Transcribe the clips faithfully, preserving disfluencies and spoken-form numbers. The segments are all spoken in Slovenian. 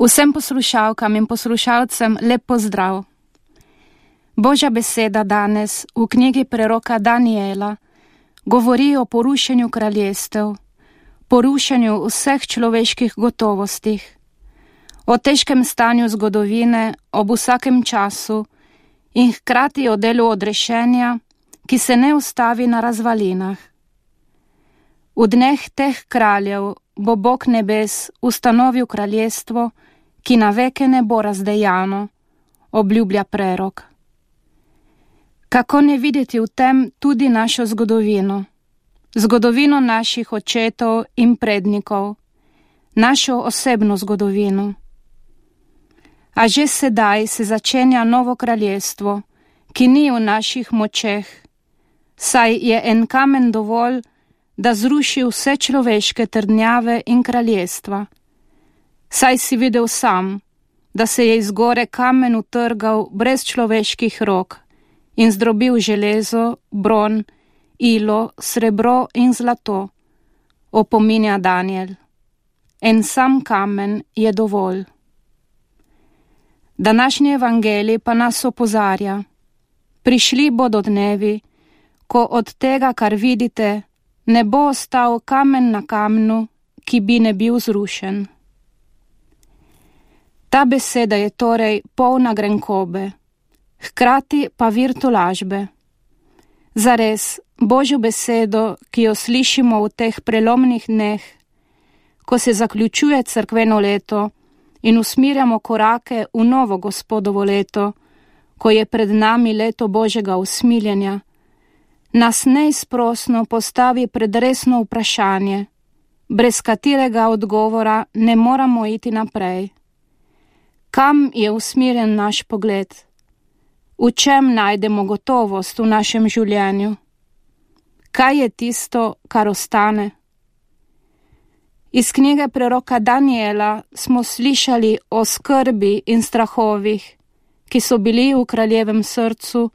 Vsem poslušalkam in poslušalcem lep pozdrav. Božja beseda danes v knjigi preroka Daniela govori o porušenju kraljestev, porušenju vseh človeških gotovostih, o težkem stanju zgodovine ob vsakem času in hkrati o delu odrešenja, ki se ne ustavi na razvalinah. V dneh teh kraljev bo Bog nebes ustanovil kraljestvo, ki na veke ne bo razdejano, obljublja prerok. Kako ne videti v tem tudi našo zgodovino, zgodovino naših očetov in prednikov, našo osebno zgodovino. A že sedaj se začenja novo kraljestvo, ki ni v naših močeh, saj je en kamen dovolj, da zruši vse človeške trdnjave in kraljestva. Saj si videl sam, da se je iz gore kamen utrgal brez človeških rok in zdrobil železo, bron, ilo, srebro in zlato, opominja Daniel. En sam kamen je dovolj. Današnji evangelij pa nas opozarja. Prišli bodo dnevi, ko od tega, kar vidite, ne bo ostal kamen na kamnu, ki bi ne bil zrušen. Ta beseda je torej polna grenkobe, hkrati pa vir tolažbe. Zares, Božjo besedo, ki jo slišimo v teh prelomnih dneh, ko se zaključuje cerkveno leto in usmirjamo korake v novo Gospodovo leto, ko je pred nami leto Božjega usmiljenja, nas neizprosno postavi pred resno vprašanje, brez katerega odgovora ne moramo iti naprej. Kam je usmerjen naš pogled? V čem najdemo gotovost v našem življenju? Kaj je tisto, kar ostane? Iz knjige preroka Daniela smo slišali o skrbi in strahovih, ki so bili v kraljevem srcu,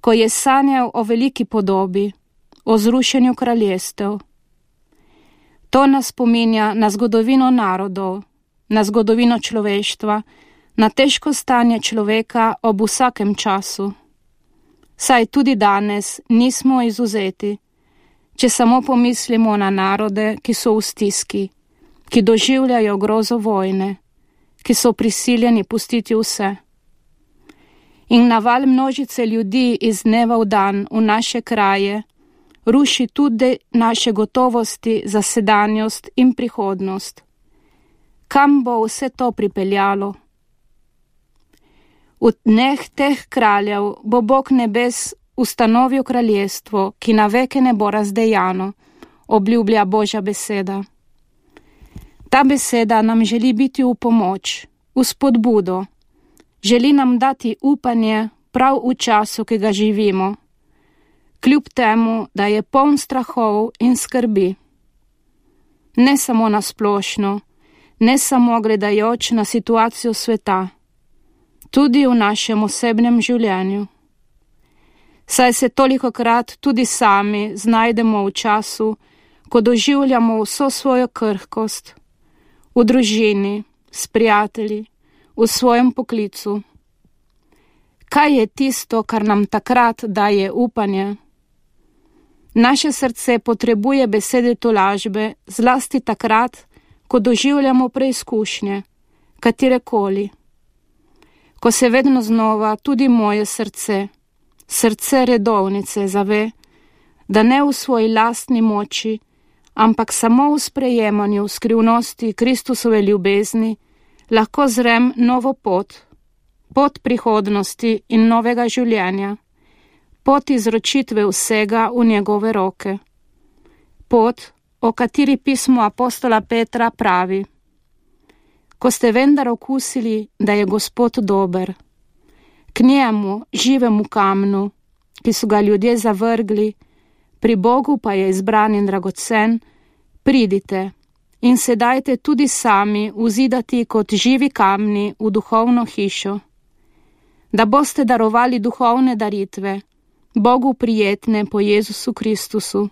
ko je sanjal o veliki podobi, o zrušenju kraljestev. To nas spominja na zgodovino narodov, na zgodovino človeštva, na težko stanje človeka ob vsakem času. Saj tudi danes nismo izvzeti, če samo pomislimo na narode, ki so v stiski, ki doživljajo grozo vojne, ki so prisiljeni pustiti vse. In naval množice ljudi iz dneva v dan v naše kraje ruši tudi naše gotovosti za sedanjost in prihodnost. Kam bo vse to pripeljalo? V dneh teh kraljev bo Bog nebes ustanovil kraljestvo, ki na veke ne bo razdejano, obljublja Božja beseda. Ta beseda nam želi biti v pomoč, v spodbudo, želi nam dati upanje prav v času, ki ga živimo, kljub temu, da je poln strahov in skrbi. Ne samo na splošno, ne samo gledajoč na situacijo sveta, tudi v našem osebnem življenju. Saj se tolikokrat tudi sami znajdemo v času, ko doživljamo vso svojo krhkost, v družini, s prijatelji, v svojem poklicu. Kaj je tisto, kar nam takrat daje upanje? Naše srce potrebuje besede tolažbe, zlasti takrat, ko doživljamo preizkušnje, katerekoli. Ko se vedno znova tudi moje srce, srce redovnice zave, da ne v svoji lastni moči, ampak samo v sprejemanju skrivnosti Kristusove ljubezni, lahko zrem novo pot, pot prihodnosti in novega življenja, pot izročitve vsega v njegove roke, pot, o kateri pismo apostola Petra pravi: Ko ste vendar okusili, da je Gospod dober, k njemu, živemu kamnu, ki so ga ljudje zavrgli, pri Bogu pa je izbran in dragocen, pridite in se dajte tudi sami vzidati kot živi kamni v duhovno hišo, da boste darovali duhovne daritve, Bogu prijetne po Jezusu Kristusu.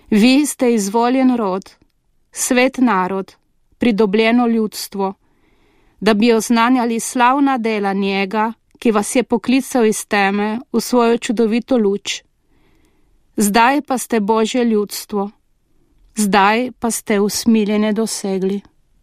Vi ste izvoljen rod, svet narod, pridobljeno ljudstvo, da bi oznanjali slavna dela njega, ki vas je poklical iz teme v svojo čudovito luč. Zdaj pa ste Božje ljudstvo, zdaj pa ste usmiljenje dosegli.